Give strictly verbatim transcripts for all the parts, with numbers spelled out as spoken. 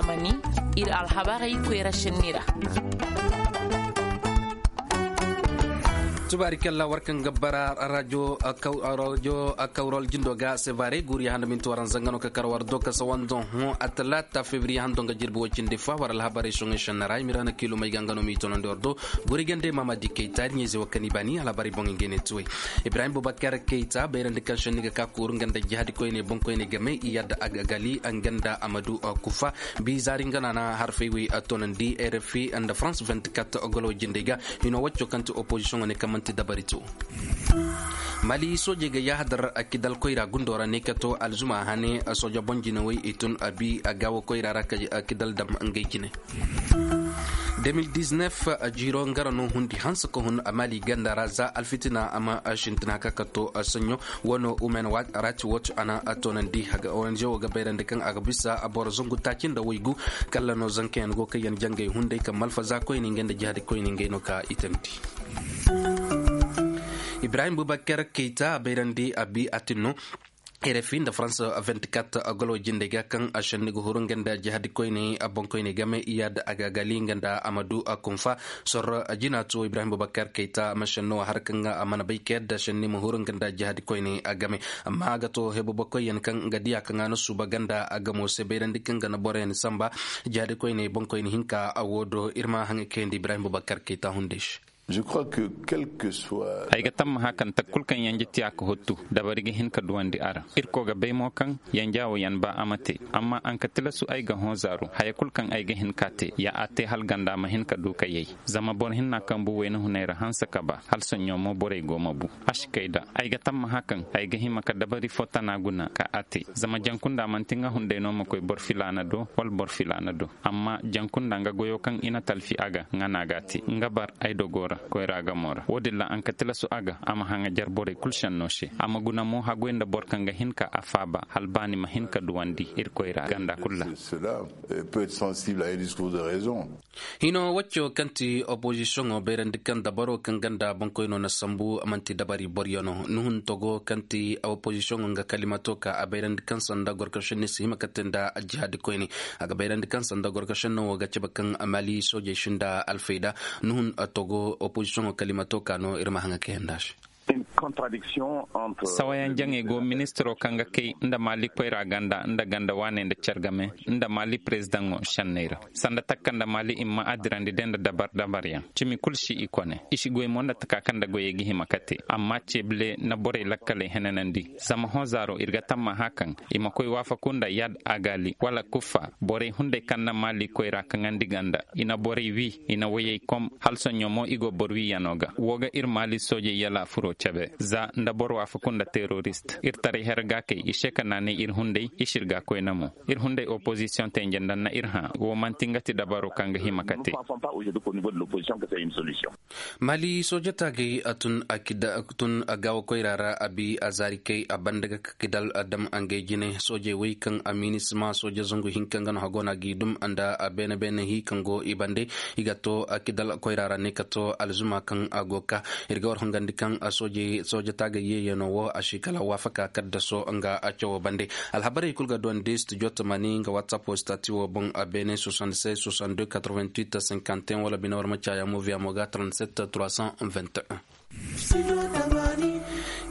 Mani, ir alhabarey koyra senni ra. Tubaari kalla war kaŋ ga bara rajo kawrol jindo ga sevare guri handa minti waran zangano ka kar war do ka sawandoŋ hõ a talaata fevriye hando nga jirbi wo cindi fa war alhabarey soŋey senni ra i ma ir hana kiilumey ga nga no m'i tonandi war do. Guri gande mama di kayta ir ɲayze wo kaŋ i baani alhabarey boŋ ngey ne tuwey. Ibrahim bubakar kayta bayrandi kaŋ senni ga ka kuuru nga nda jihadi koyne boŋ koyne game i yadda a ga gali nga nda amadu kufa. Bi zaari nga no a na harfey wey a toonandi rfi nda france vingt-quatre golo jindey ga. Hino wacco kaŋ ti opozisiyoŋo ne kaŋ manti dabari to. Mali soojey ga yahadar kidal koyra gundo ra ne ka to alzuma hane sooja boŋ jinawey i tun a bi a gaawo koyra ra ka kidal dam ngey jine. Deux mille dix-neuf jiiro nga ra no hundi hanse ka hun a mali ganda ra za alfitina a ma sintina ka ka to sanɲo. Wano umen rati wato a na a toonandi haga ong wo ga bayrandi kaŋ a ga bisa a boro zangu taaci nda waygu. Kalla no zankayaŋ go kaŋ yaŋ jangay hunday kaŋ malfaza koyne ngey nda jihadi koyne ngey no ka itandi. Ibrahim bubakar kayta a bayrandi a bi a tin no. Rfi nda france vingt-quatre golo jindey ga kaŋ a senni ga huru nga nda jihadi koyne a boŋ koyne game iyad a ga gali nga nda amadu a kunfa. Sorro jina to ibrahim bubakar kayta a ma senno a har kaŋ a mana bay ka yadda senni ma huru nga nda jihadi koyne a game. Amma a ga to hebubakoyyaŋ kaŋ nga diya kaŋ a na suuba ganda a gamo se bayrandi kaŋ ga na boroyaŋ samba. Jihadi koyne boŋ koyne hinka a wo do ir ma haŋa kayandi ibrahim bubakar kayta hunday se. Ay ga tammaha kaŋ takku kul kaŋ yanje tiya ka hottu dabari ga hin ka duwandi a ra. Irkoy ga bay mo kaŋ yanja wo yaŋ ba a ma te. Amma a nga tilasu ay ga hõ zaaru haya kul kaŋ ay ga hin k'a te ya a te hala ganda ma hin ka du ka yay. Zama boro hinna kaŋ bu wayna hunay ra hanse ka ba hala soɲõ mo borey go ma bu. A si kay da ay ga tammaha kaŋ ay ga hima ka dabari fo tana guna ka a te. Zama jaŋ kunda manti nga hunday no ma koy boro filaana do wala boro filaana do. Amma jaŋ kunda nga goyo kaŋ i na talfi a ga nga no a g'a te nga bar ay dogo ra koyra gamo ra wo-din ra a nga tilasu a ga a ma haŋajar borey kul senno se a ma guna mo hagoy nda boro kaŋ ga hin ka a faaba hala baani ma hin ka duwandi irkoy ra ganda kul ra. Hino wacco kaŋ ti opozisiyoŋo bayrandi kaŋ dabaro kaŋ ganda boŋkoyno na sambu manti dabari boryaŋo nuhun togo kaŋ ti opozisiyoŋo nga kalimato ka a bayrandi kaŋ sanda gorkasinni si hima ka te nda jihaadi koyne. A ga bayrandi kaŋ sanda gorkasinno wo ga cabe kaŋ mali soojey sinda alfayda. Nuhun togo opozisiyoŋo kalimato ka no ir ma haŋa kayanda se. Sawayaŋ jaŋey go ministiro kaŋ ga kay nda mali koyra ganda nda ganda waaney nda care game nda mali perezidaŋo senney ra. Sanda takka nda mali i ma a dirandi day nda dabar dabaryaŋ cimi kul si i kone i si goy mo nda taka kaŋ nda goyey ga hima ka te amma ceebile na borey lakkaley henanandi. Zama hõ zaaro ir ga tammaha kaŋ i ma koy waafaku nda yad agali wala kuffa borey hunday kaŋ na mali koyra kaŋandi ganda i na borey wi i na woyey kom hala soɲõ mo i go boro wiyaŋo ga wo ga ir mali soojey yala furo cabe za nda boro waafaku nda terorist ir taray her ga kay i se ka naanay ir hunday i si ir ga koyna mo. Ir hunday opozisiyoŋ tenje nda na ir hã wo manti nga ti dabaro kaŋ ga hima ka te. Mali sooja taagay a tun a gaawo koyra ra a bi a zaari kay a banda ga ka kidal a dam a ngey jine soojey wey kaŋ a minisima sooja zangu hinka nga no hago no a g'i dum nda a beene beene hi kaŋ go i bande. I ga to a kidal koyra ra ne ka to alzuma kaŋ a go ka ir ga war hongandi kaŋ a sooja taagay yeeyano wo a si kala waafaka kaddaso nga a cawo bande. Alhabarey kul ga duwandi studio tamani nga whatsapp wo stati wo boŋ a beene soixante-seize soixante-deux quatre-vingt-huit cinquante et un wala bine war ma caaya moviya mo ga trente-sept trois cent vingt et un.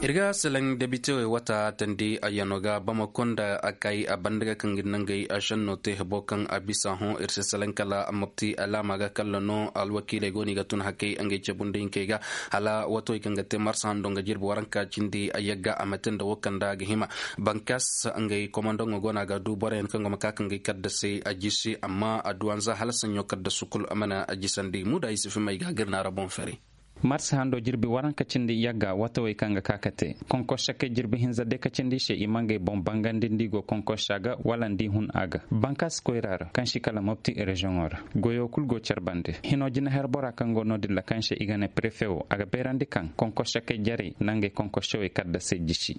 Ir ga selaŋ debite wey wata tandi a yano ga bamako nda a kay a banda ga kaŋ ga nangey a senno te hebo kaŋ a bisa hõ ir si selaŋ kala mopti alaama ga kalla no alwakiiley go no i ga tun hakey ngey cebundi hinkey ga hala wato wey kaŋ ga te marsa hando nga jirbi waranka cindi a yagga a ma te nda wo kaŋ nda a ga hima. Bankas ngey komandoŋo go no a ga du boroyaŋ kaŋ go ma ka kaŋ ga ay kadda se a jisi amma a duwanza hala saɲɲo kadda sukul a mana a jisandi muda ay si fimay ga a ga ir naara boŋ fere. Marsa hando jirbi waranka cindi yagga watawey kaŋ ga ka ka te konkosa kay jirbi hinza de ka cindi i se i ma ngey boŋ bangandi nda i go konkosa ga wala nda i hun a ga bankaasi koyra ra kaŋ si kala mopti reziyoŋo ra. Goyo kulu go care bande hino jina her bora kaŋ go no- din ra kaŋ se i ga ne prefe wo a ga beerandi kaŋ konkosa kay jarey na ngey konkosawey kala da se jisi.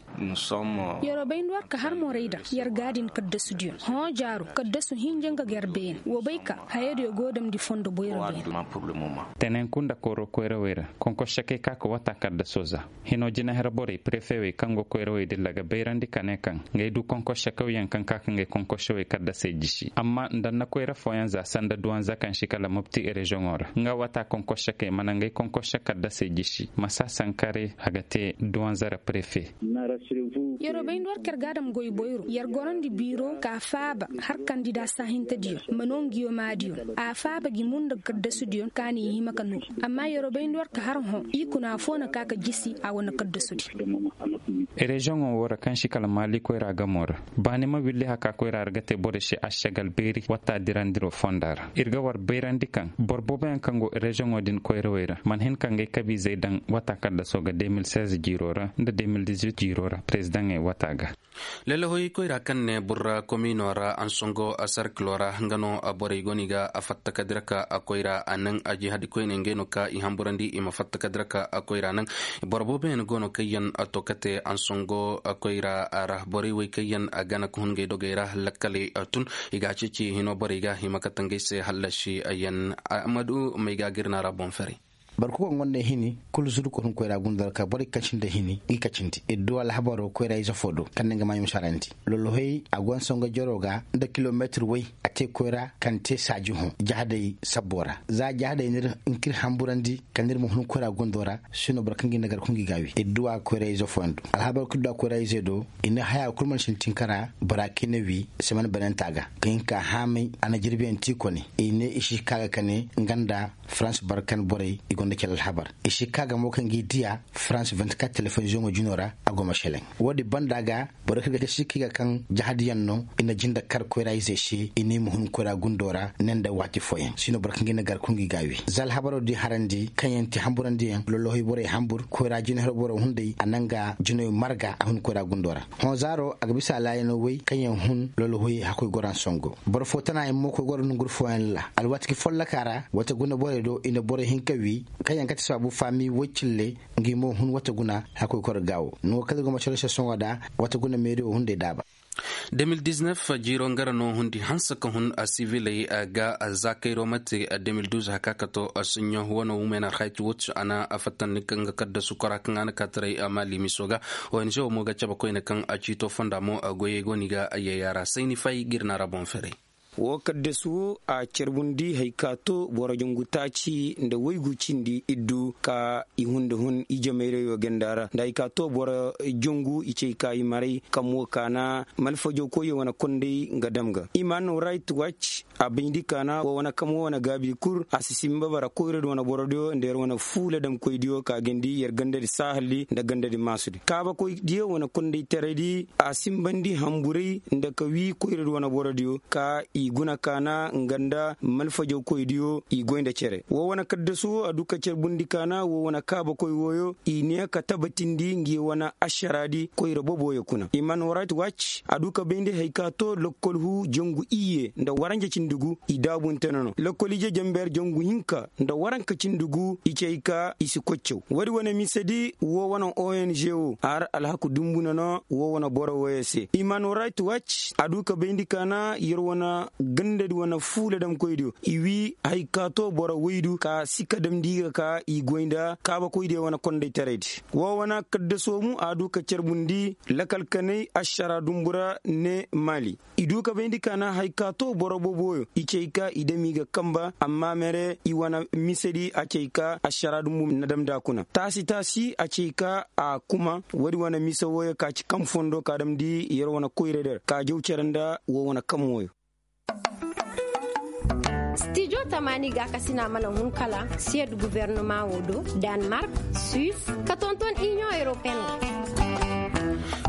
Yero bay nda war ka har morey daŋ yer gaadin kaddasudiyo hõ jaaru kaddasu hinja nga ga yer beene wo bay ka hayadiyo go damndi fondo boyro beene. Tenenku nda kooro koyrawey ra Konkošakey ka ka wata kaddaso za. Hino jinaher borey prefewey kaŋ go koyrawey dilla ga bayrandi ka ne kaŋ ngay du konkošakawyaŋ kaŋ ka ka ngay konkošawey kaddasey jisi amma nda na koyra fooyaŋ za sanda duwanza kaŋ si kala mopti reziyoŋo ra nga wata konkošakey mana ngay konkoša kaddasey jisi masa sankare a ga te duwanza ra prefe. Yeroo bay nda war ka yar ga a dam goy boyro yar gorandi biiro ka faaba har kandida saahintediyo ma noo ngiyo maadiyo a faaba gi munda kaddasudiyo kaani i hima ka noo. Amma yeroo bay nda war ka har hõ i kuna afoo na ka ka jisi a wane kaddasudi. Reziyoŋo woo ra kaŋ si kala maali koyra gamoo ra baani ma willi haka koyra ra ga te borey se ašagal beeri watta dirandiroo fonda ra ir ga war bayrandi kaŋ boro booboyaŋ kaŋ go reziyoŋo din koyrawey ra mana hin ka ngay kabiizey daŋ wata kaddasoo ga de mil seize jiiroo ra nda de mil dizuit jiiroo ra perezidaŋey wata ga. Lalahoy koyra kaŋ ne burra komiino ra ansongo sarkilo ra nga no borey go no i ga fatta ka dira ka koyra a naŋ a jihadi koyne ngey no ka i hamburandi i ma fatta ka dira ka koyra naŋ. Boro booboyaŋ go no kaŋ yaŋ to ka te ansongo koyra ra borey wey kaŋ yaŋ gana ka hun ngey dogey ra lakkaley tun i ga a ceeci hino borey ga hima ka tangey se hallasi yaŋ. Ahmadu may ga girna ra boŋ fere. Boro kul kaŋ gonda hini kulu zuru koy hun koyra gunda ra ka borey kaŋ sinda hini i kacindi iddu alhabaro koyra ize fo do kaŋ na nga maaɲum sarandi lolohoy a go nsongo jaro ga nda kilometir way a te koyra kaŋ te saaji hõ jahadey sabbo ra za jahadey n'ir hinka ir hamburandi kaŋ ir ma hun koyra gundo ra. Sino boro kaŋ ga i na gar kaŋ ga i ga a wi iddu a koyra ize fooyaŋ do alhabar kulu du a koyra ize do i na haya kulu mana sintin kara bora kaŋ i na wi semen bananta ga kaŋ hinka haamay a na jirbiyaŋ ti kone i ne i si ka ga kane nga nda farans barkan borey i gonda cere alhabar i si ka ga mo kaŋ ga i diya farans vingt-quatre telefonziyoŋo jino ra a go ma seleŋ. Woodin banda ga boro kaŋ ga ga sikki ga kaŋ jahadiyaŋ no i na jinda kar koyra izey se i ne i ma hun koyra gundo ra ne nda waati fooyaŋ sino boro kaŋ ga i na gar kaŋ ga i ga a wi za alhabaroo di harandi kaŋ yaŋ ti hamburandiyaŋ lolohoy borey hambur koyra jinahiro boro hunday a naŋ ga jinoy marga a hun koyra gundo ra. Hõ zaaro a ga bisa alaayanoo woy kaŋ yaŋ hun lolohoy hakkoy goro ansongo boro fo tana yaŋ mo koy goro nonguru fooyaŋ ra alwaati ka follokaa ra wata guna borey do i na borey hin ka wi kaŋ yaŋ kate sabaabu faami woy cille. Ngi mo hun wata guna hakkoy koro gaawo nango kaŋ ir go ma coro se sohõ da wata guna meeriyo hunday daaba. De mil diznef jiiro nga ra no hundi hanse ka hun siviley ga za kayro mate de mil duz haka ka to suɲɲo wano wumena hayti wotu a na a fattandi kaŋ ga kaddasu kora kaŋ a na kaataray maali miso ga. Ong wo mo ga cabe koyne kaŋ a ciito fonda mo goyey go no i ga yayya ra sayni fay ga ir na ra boŋ ferey. Wo kaddasu wo a carbundi hari ka to boro jangu taaci nda waygu cindi iddu ka i hunda hun ije mayrayo ganda ra nda hari ka to boro jangu i cay ka i maray kam wo kaana malfajo koyyo wane konday nga dam ga human right watch. A bayndi kaana wo wane kam wo wane gaabi kul a si simba bara koyradi wane borodiyo nda yer wane fuula damkoydiyo ka gandi yer gandadi saahaldi nda gandadi maasudi kaabakoydiyo wane kondaytaraydi a simbandi hamburay nda ka wii koyradi wane borodiyo ka i guna kaana nga nda malfajawkoydiyo i goy nda cere wo wane kaddasu wo a du ka carbundi kaana wo wane kaabakoy wooyo i ne ka tabatindi ngi wane ašaraadi koyra boboyo kuna human right watch a du ka bayndi hari ka to lokkol huu jangu iyye nda waranja cindi gu i daabunte no no lokkol ije jamber jangu hinka nda waranka cindi gu i cay ka i si koy caw woodi wane misedi wo wane ong wo a har alhaku dumbu no no wo wane boro wooyo se human right watch a du ka bayndi kaana yer wane gandadi wane fuula damkoydiyo i wii hari ka to boro woydu ka si ka damndi ga ka i goy nda kaabakoydiyo wane kondaytaraydi wo wane kaddasoo mu a du ka carbundi lakal kanay ašara dumbu ra ne maali i du ka bayndi kaana hari ka to boro boboyo i cay ka i dam i ga kamba amma mere i wane misedi a cay ka ašara dumbu na damndi a kuna taasi taasi a cay ka a kuma woodi wane mise wooyo ka ci kam fondo ka damndi yer wane koyra der ka jaw cere nda wo wane kam wooyo. Stijo tamaani gaakasina mana hun kala siyed guvernama wo do, danmark, suis, ka tonton inion europeen.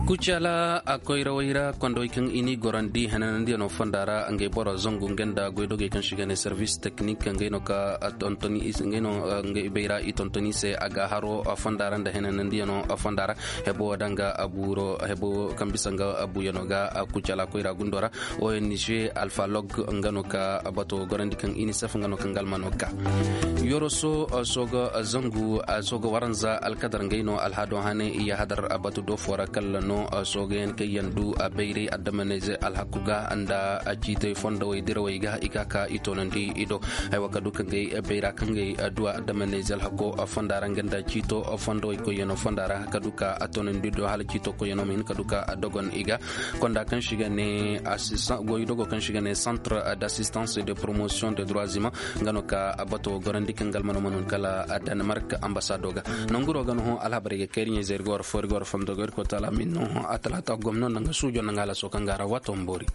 Kucala a koyrawey ra kondowey kaŋ i n'i gorandi henanandiyano fonda ra ngey boro zangu ngey nda goydogey kaŋ se i ga ne servis teknik ngey no ka tontoni i se ngey no ngey bay ra i tontoni i se a ga haro fonda ra nda henanandiyano fonda ra. Hebo wo danga buuro hebo kaŋ bisa nga buuyano ga kucala koyra gundo ra. Ong alfa log nga no ka bato gorandi kaŋ inisef nga no kaŋ galma no ka yoroso sooga zangu sooga waranza alkadar ngey no alhado hane i yahadar batu do fo ra kala no. Soogayaŋ kaŋ yaŋ du bayray addamanayze alhaku ga nda ciitay fondowey dirawey ga i ka ka i toonandi i do. Haywa ka du kaŋ gay bayra kaŋ gay du addamanayze alhako fonda ra nga nda ciito fondowey koyyaŋo fonda ra ka du ka a toonandi do hala ciito koyyaŋo ma hin ka du ka a dogon i ga. Konda kaŋ si ga ne goy dogo kaŋ si ga ne centre d'assistance et de promotion de droits humains nga no ka bato gorandi kaŋ galmano manun kala danemark ambasado ga. Nanguro ga no hõ alhabarey ga kayri ɲayzey ir ga war fo ir ga war fondo ga ir koy taala min no hõ a talaata gomno nda nga suujo nda nga halaso kaŋ ga ra waato ma boori.